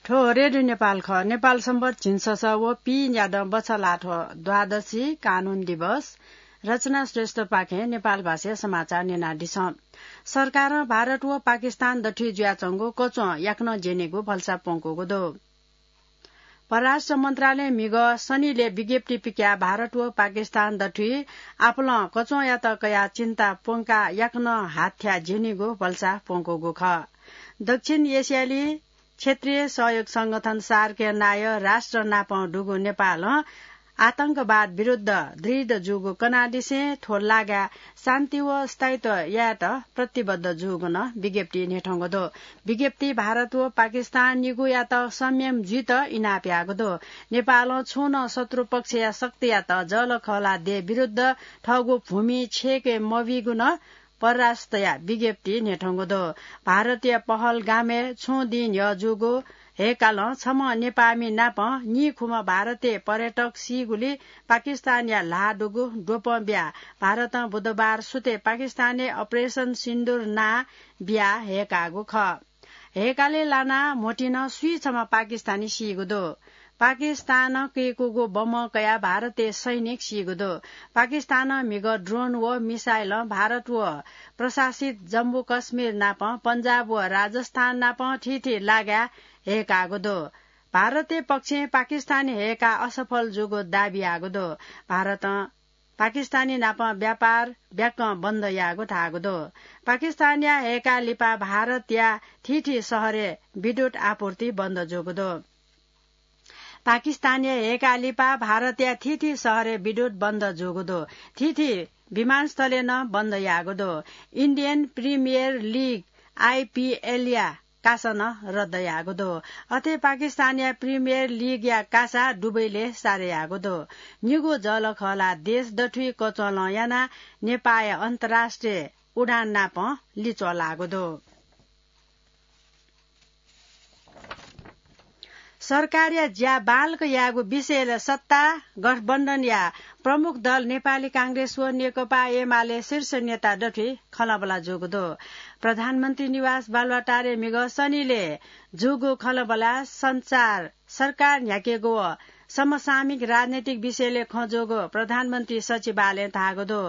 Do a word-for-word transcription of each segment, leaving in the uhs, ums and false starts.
थ्व रेडियो नेपाल खः। नेपाल सम्बत झिंछसः व पीन्यादँ बछलाथ्व द्वादशी, कानून दिवस। रचना श्रेष्ठपाखें नेपाल भाषाया समाचार न्यनादिसँ। सरकारं भारत व पाकिस्तान दथुइ जुयाच्वंगु कच्वं याकनं ज्यनीगु भलसा प्वंकूगु दु। परराष्ट्र मन्त्रालयं म्हिगः शनिलय् विज्ञप्ति पिकयाः भारत व पाकिस्तान दथुइ आपालं कच्वंयात कयाः चिन्ता प्वंकाः याकनं हाथ्या ज्यनीगु भलसा प्वंकूगु खः। दक्षिण एसियाली क्षेत्रीय सहयोग संगठन सार्कया नायः राष्ट्र नापं दुगु नेपालं आतंकवाद विरुद्ध दृढ जूगु कनादिसें थ्व लागाय् शान्ति व स्थायित्व यायेत प्रतिबद्ध जूगु नं विज्ञप्ति न्ह्यथंगु दु। विज्ञप्ति भारत व पाकिस्तान निगूयात संयम जुइत इनाप याःगु दु। नेपालं छुं नं शत्रु पक्षया शक्तियात जःलाखःला देय् विरुद्ध थःगु भूमि छेके मबीगु नं परराष्ट्रया विज्ञप्ति न्ह्यथंगु दु। भारतया पहलगामय् छुं दिं न्ह्यः जूगु हय्‌कालं छम्ह नेपाःमि नाप नीखुम्ह भारतीय पर्यटक सीगुली पाकिस्तानया ल्हाः दुगु द्वपं बियाः भारतं बुधबार सुथय् पाकिस्तानय् अपरेसन सिन्दुर नां बियाः हय्‌काःगु खः। हय्‌कालय् लानाः म्होतिं नं स्वीछम्ह पाकिस्तानी सीगु दु। पाकिस्तानं कय्‌कूगु बमं कयाः भारतय् सैनिक सीगु दु। पाकिस्तानं म्हिगः ड्रोन व मिसाइलं भारत व प्रशासित जम्मू कश्मीर नाप पंजाब व राजस्थान नाप थीथी लागाय् हय्‌काःगु दु। भारतीय पक्षं पाकिस्तानी हय्‌काः असफल जूगु दाबी याःगु दु। भारतं पाकिस्तानी नाप व्यापार ब्याकं बन्द याःगु धाःगु दु। पाकिस्तानया हय्‌काः लिपा भारतया थीथी शहरय् विद्युत आपूर्ति बन्द जूगु दु। पाकिस्तानया हय्‌काः लिपा भारतया थीथी शहरय् विद्युत बन्द जूगु दु। थीथी विमानस्थलय् नं बन्द याःगु दु। इन्डियन प्रिमियर लिग, आइपिएलया कासा नं रद्द याःगु दु। अथे पाकिस्तानया प्रिमियर लिगया कासा दुबईलय् सारे याःगु दु। निगू जःलाखःला देश दथुइ कच्वलं यानाः नेपाःया अन्तर्राष्ट्रिय उडान नाप लिच्वः लाःगु दु। सरकारया ज्या बांलाक यायेगु विषयलय् सत्ता गठबन्धनया प्रमुख दल नेपाली कांग्रेस व नेकपा एमाले शीर्ष नेता दथुइ खँल्हाबल्हा जूगु दु। प्रधानमन्त्री निवास बालुवाटारय् म्हिगः शनिलय् जूगु खँल्हाबल्हाय् संचार, सरकार न्ह्याकेगु व समसामयिक राजनैतिक विषयलय् खँ जूगु प्रधानमन्त्री सचिवालयं धाःगु दु।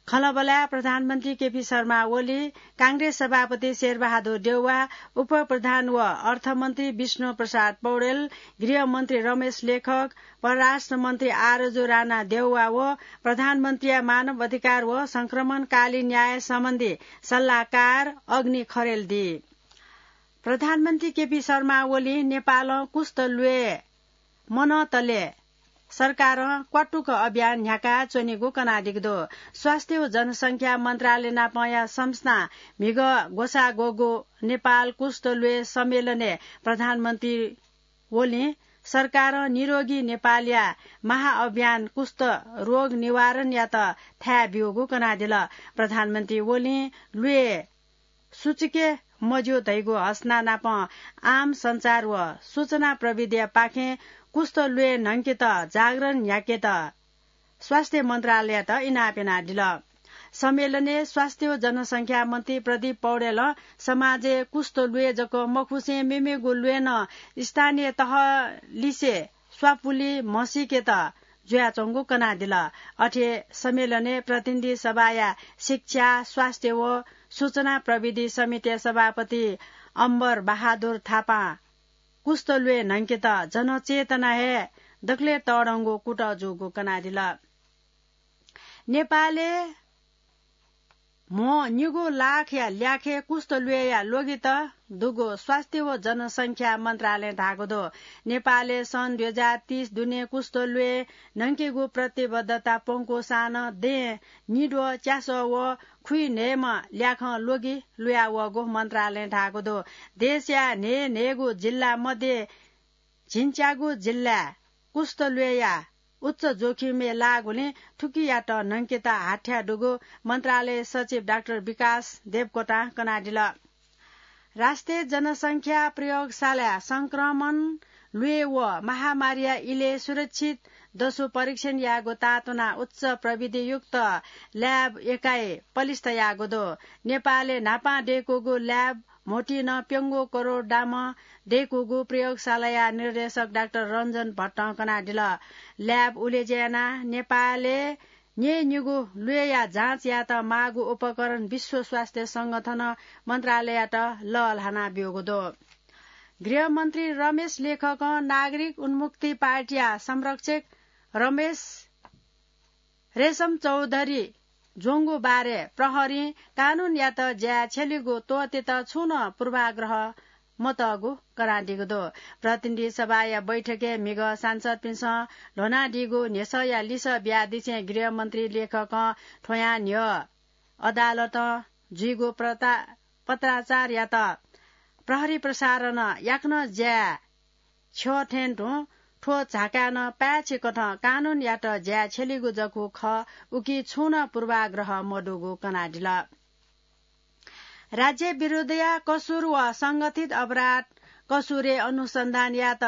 खँल्हाबल्हाय् प्रधानमन्त्री केपी शर्मा ओली, कांग्रेस सभापति शेरबहादुर देउवा, उपप्रधान व अर्थमन्त्री विष्णु प्रसाद पौडेल, गृहमन्त्री रमेश लेखक, परराष्ट्र मन्त्री आरजु राणा देउवा व प्रधानमन्त्रीया मानव अधिकार व संक्रमणकालीन न्याय सम्बन्धी सल्लाहकार अग्नि खरेल दी। प्रधानमन्त्री केपी शर्मा ओली नेपालं कुष्ठ ल्वय् मनंतले सरकारं क्वातुक अभियान न्ह्याका च्वनीगु कनादीगु दु। स्वास्थ्य व जनसंख्या मन्त्रालय नापंया संस्थां म्हिगः ग्वसाः ग्वःगु नेपाल कुष्ठ ल्वय् सम्मेलनय् प्रधानमन्त्री ओलीं सरकारं निरोगी नेपालया महाअभियान कुष्ठ रोग निवारणयात थाय् ब्यूगु कनादिल। प्रधानमन्त्री ओलीं ल्वय् सुचुके मज्यू धइगु हसना नाप आम सञ्चार व सूचना प्रविधिया पाखें कुष्ठ ल्वय् न्हंकेत जागरण न्ह्याकेत स्वास्थ्य मन्त्रालययात इनाप यानादिल। सम्मेलनय् स्वास्थ्य व जनसंख्या मन्त्री प्रदीप पौडेलं समाजय् कुष्ठ ल्वय् जक मखुसें मेमेगु ल्वय् नं स्थानीय तह लिसे स्वापुलि म्हसीकेत जुयाच्वंगु कनादिल। अथे सम्मेलनय् प्रतिनिधि सभाया शिक्षा, स्वास्थ्य व सूचना प्रविधि समितिया सभापति अम्बर बहादुर थापां कुष्ठ ल्वय् न्हंकेत जनचेतना हे दकलय् तःधंगु कुतः जूगु कनादिल। नेपालय् म्हो निगू लाखया ल्याखय् कुष्ठ ल्वय्‌या ल्वगित दुगु स्वास्थ्य व जनसंख्या मन्त्रालयं धाःगु दु। नेपालय् सन् दुई हजार तीस दुने कुष्ठ ल्वय् न्हंकेगु प्रतिबद्धता प्वंकूसां नं दँय् निद्वः, च्यासः व खुइन्हय्‌म्ह ल्याखं ल्वगि लुयावःगु मन्त्रालयं धाःगु दु। देशया न्हय्‌न्हय्‌गू जिल्ला मध्ये झिंच्यागू जिल्लाय् कुष्ठ ल्वय्‌या उच्च जोखिमय् लाःगुलिं थुकियात न्हंकेत हाथ्या दुगु मन्त्रालय सचिव डाक्टर विकास देवकोटां कनादिल। राष्ट्रिय जनसंख्या प्रयोगशालाय् संक्रमण, ल्वय् व महामारीया इलय् सुरक्षित दसु परीक्षण यायेगु तातुनाः उच्च प्रविधियुक्त ल्याब एकाइ पलिस्था याःगु दु। नेपालय् न्हापां दय्‌कूगु ल्याब म्होतिं प्यंगू करोड दामं दय्कूगु प्रयोगशालाया निर्देशक डाक्टर रञ्जन भट्टं कनादिल। ल्याब उलेज्या यानाः नेपालय् न्यय्न्यूगु ल्वय्या जाँच यायेत माःगु उपकरण विश्व स्वास्थ्य संगठन मन्त्रालययात लःल्हाना ब्यूगु दु। गृहमन्त्री रमेश लेखकं नागरिक उन्मुक्ति पार्टीया संरक्षक रमेश रेशम चौधरी ज्वंगु बारे प्रहरीं कानूनयात ज्याय् छ्यलीगु त्वःतेत छुं नं पूर्वाग्रह मतःगु कनादीगु दु। प्रतिनिधि सभाया बैठकय् म्हिगः सांसदपिन्सं ल्ह्वनादीगु न्ह्यसःया लिसः बियादिसें गृहमन्त्री लेखकं थ्वयां न्ह्यः अदालतं जुइगु प्रता-, पत्राचारयात प्रहरी प्रसारणं याकनं ज्याय् छ्यः थें तुं थ्व झाकाय् नं पाय्छि कथं कानूनयात ज्याय् छ्यलीगु जक खः, उकी छुं नं पूर्वाग्रह मदुगु कनादिल। राज्य विरुद्धया कसुर व संगठित अपराध कसुरय् अनुसन्धान यायेत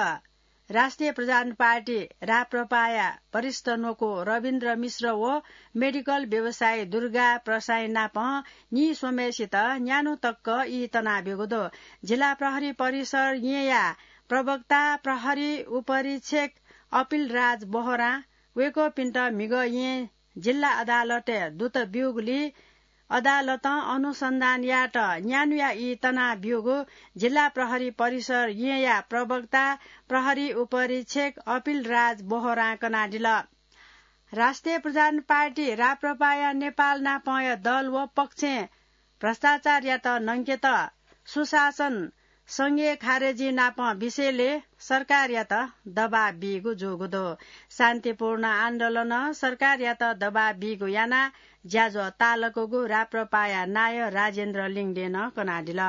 राष्ट्रिय प्रजातन्त्र पार्टी राप्रपाया वरिष्ठ न्वकू रविन्द्र मिश्र व मेडिकल व्यवसायी दुर्गा प्रसाईं नापं नीस्वम्हेसित न्यान्हु तक ई तनाब्यूगु दु। जिल्ला प्रहरी परिसर येँया प्रवक्ता प्रहरी उपरीक्षक अपिल राज बोहरां वय्कःपिन्त म्हिगः येँ जिल्ला अदालतय् दुत ब्यूगुलिं अदालतं अनुसन्धान यायेत न्यान्हुया ई तनाब्यूगु जिल्ला प्रहरी परिसर येँया प्रवक्ता प्रहरी उपरीक्षक अपिल राज बोहरां कनादिल। राष्ट्रिय प्रजातन्त्र पार्टी राप्रपाया नेपाल नापंया दल व पक्षं भ्रष्टाचारयात नंकेत सुशासन संघीय खारेजी नापं विषयलय् सरकारयात दबाब बीगु जूगु दु। शान्तिपूर्ण आन्दोलनं सरकारयात दबाब बीगु यानाः ज्याझ्वः तालकूगु राप्रपाया नायः राजेन्द्र लिङदेनं कनादिल।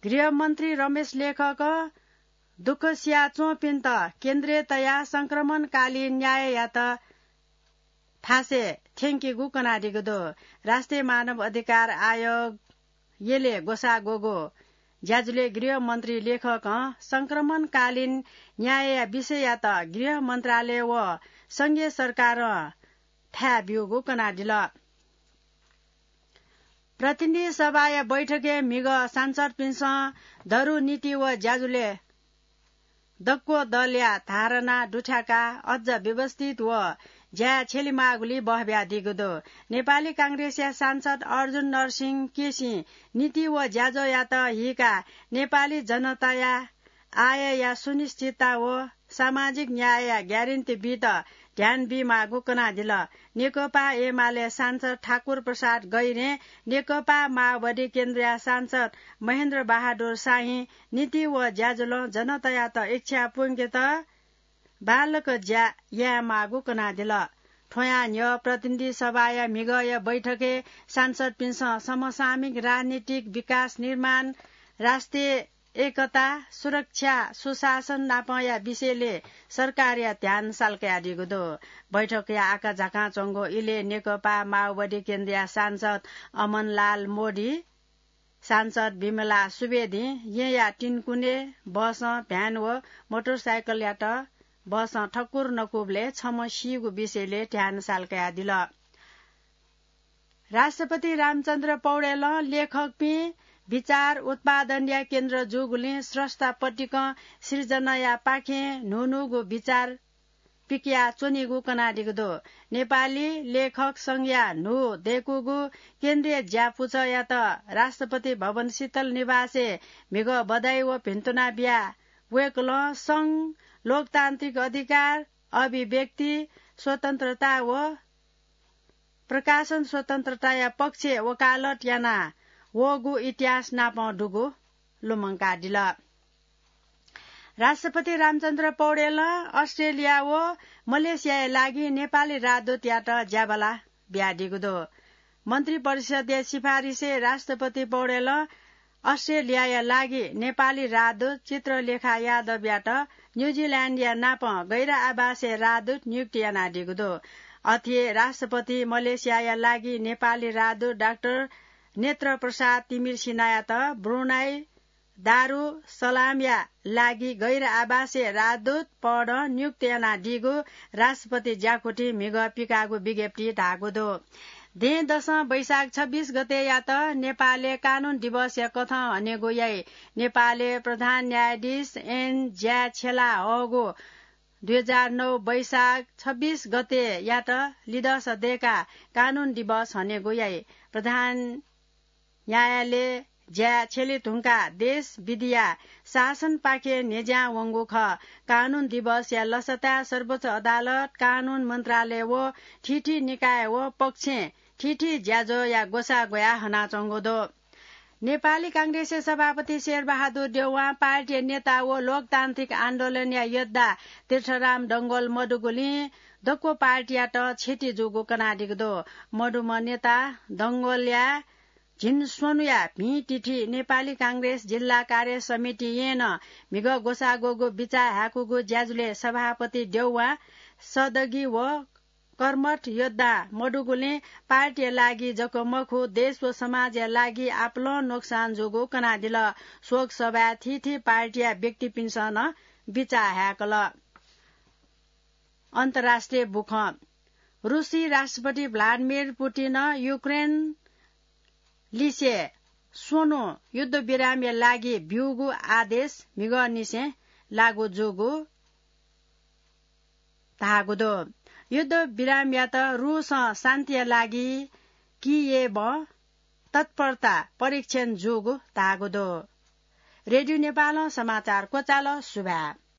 गृहमन्त्री रमेश लेखकं दुःख सियाच्वंपिन्त केन्द्रय् तयाः संक्रमणकालीन न्याययात थासय् थ्यंकेगु कनादीगु दु। राष्ट्रिय मानव अधिकार आयोग यलय् ग्वसाः ग्वःगु ज्याझ्वलय् गृहमन्त्री लेखकं संक्रमणकालीन न्यायया विषययात गृह मन्त्रालय व संघीय सरकारं थाय् ब्यूगु कनादिल। प्रतिनिधि सभाया बैठकय् म्हिगः सांसदपिन्सं दरु नीति व ज्याझ्वलय् दक्व दलया धारणा दुथ्याकाः अझ व्यवस्थित व ज्याय् छ्यलेमाःगुलिइ बह बियादीगु दु। नेपाली कांग्रेसया सांसद अर्जुन नरसिंह केसीं नीति व ज्याझ्वःयात हीकाः नेपाली जनताया आयया सुनिश्चितता व सामाजिक न्यायया ग्यारेन्टी बीत ध्यान बीमाःगु कनादिल। नेकपा एमाले सांसद ठाकुर प्रसाद गैरें नेकपा माओवादी केन्द्रया सांसद महेन्द्र बहादुर शाहीं नीति व ज्याझ्वलं जनतायात इच्छा पूवंकेत बांलाक ज्या यायेमाःगु कनादिल। थ्वयां न्ह्यः प्रतिनिधि सभाया म्हिगःया बैठकय् सांसदपिन्सं समसामयिक राजनीतिक विकास निर्माण, राष्ट्रिय एकता, सुरक्षा, सुशासन नापंया विषयलय् सरकारया ध्यान सालकयादीगु दु। बैठकया आकाझाकां च्वंगु इलय् नेकपा माओवादी केन्द्रया सांसद अमनलाल मोदी, सांसद विमला सुवेदीं येँया तिनकुने बसं भ्यान व मोटरसाइकलयात बसं ठक्कुर नकूबलय् छम्ह सीगु विषयलय् ध्यान सालकयादिल। राष्ट्रपति रामचन्द्र पौडेलं लेखकपिं विचार उत्पादनया केन्द्र जूगुलिं स्रष्टा पतिकं सिर्जनायापाखें न्हून्हूगु विचार पिकयाच्वनीगु कनादीगु दु। नेपाली लेखक संघया न्हू दय्कूगु केन्द्रीय ज्यापुचःयात राष्ट्रपति भवन शीतल निवासय् म्हिगः बधाई व भिन्तुना बियाः वय्कलं संघ, लोकतान्त्रिक अधिकार, अभिव्यक्ति स्वतन्त्रता व प्रकाशन स्वतन्त्रताया पक्षय् वकालत याना वःगु इतिहास नापं दुगु लुमंकादिल। राष्ट्रपति रामचन्द्र पौडेलं अस्ट्रेलिया व मलेसियाया लागि नेपाली राजदूतयात ज्याबला बियादीगु दु। मन्त्री परिषदया सिफारिसय् राष्ट्रपति पौडेलं अस्ट्रेलियाया लागि नेपाली राजदूत चित्रलेखा यादवयात न्युजिल्याण्डया नापं गैर आवासीय राजदूत नियुक्ति यानादीगु दु। अथे हे राष्ट्रपति मलेसियाया लागि नेपाली राजदूत डाक्टर नेत्र प्रसाद तिमिर सिन्हायात ब्रुनाई दारु सलामया लागि गैर आवासीय राजदूत पदं नियुक्त यानादीगु राष्ट्रपति ज्याकुथिं म्हिगः पिकाःगु विज्ञप्तिइ धाःगु दु। दँय्‌दसं वैशाख छब्बीस गतेयात नेपालय् कानून दिवसया कथं हनेगु याइ। नेपालय् प्रधान न्यायाधीश एन ज्याछेला हःगु दुई हजार नौ वैशाख छब्बीस गतेयात लिदस दय्‌काः कानून दिवस हनेगु याइ। प्रधान न्यायालय ज्या छ्यले धुंकाः देश विधिया शासनपाखे न्ह्यज्यां वंगु खः। कानून दिवसया लसताय् सर्वोच्च अदालत, कानून मन्त्रालय व थीथी निकाय व पक्षं थीथी ज्याझ्वःया ग्वसाः ग्वयाः हनाच्वंगु दु। नेपाली कांग्रेसया सभापति शेरबहादुर देउवां पार्टीया नेता व लोकतान्त्रिक आन्दोलनया योद्धा तीर्थराम डंगोल मदुगुलिं दक्व पार्टीयात क्षति जूगु कनादीगु दु। मदुम्ह नेता डंगोलया झिंस्वन्हुया भिंतिथि नेपाली कांग्रेस जिल्ला कार्य समितिं नं म्हिगः ग्वसाः ग्वःगु बिचाः हाय्‌कूगु ज्याझ्वलय् सभापति देउवां सदगी व कर्मठ योद्धा मदुगुलिं पार्टीया लागि जक मखु, देश व समाजया लागि आपालं नोक्सान जूगु कनादिल। शोक सभाय् थीथी पार्टीया व्यक्तिपिन्सं नं बिचाः हाय्‌कल। अन्तर्राष्ट्रिय बुखँ। रुसी राष्ट्रपति भ्लादिमिर पुतिनं युक्रेन लिसे स्वन्हु युद्धविरामया लागि ब्यूगु आदेश म्हिगःनिसें लागू जूगु धाःगु दु। युद्धविरामयात रुसं शान्तिया लागि कियेवं तत्परता परीक्षण जूगु धाःगु दु। रेडियो नेपालं समाचार क्वचाल। सुभाय्।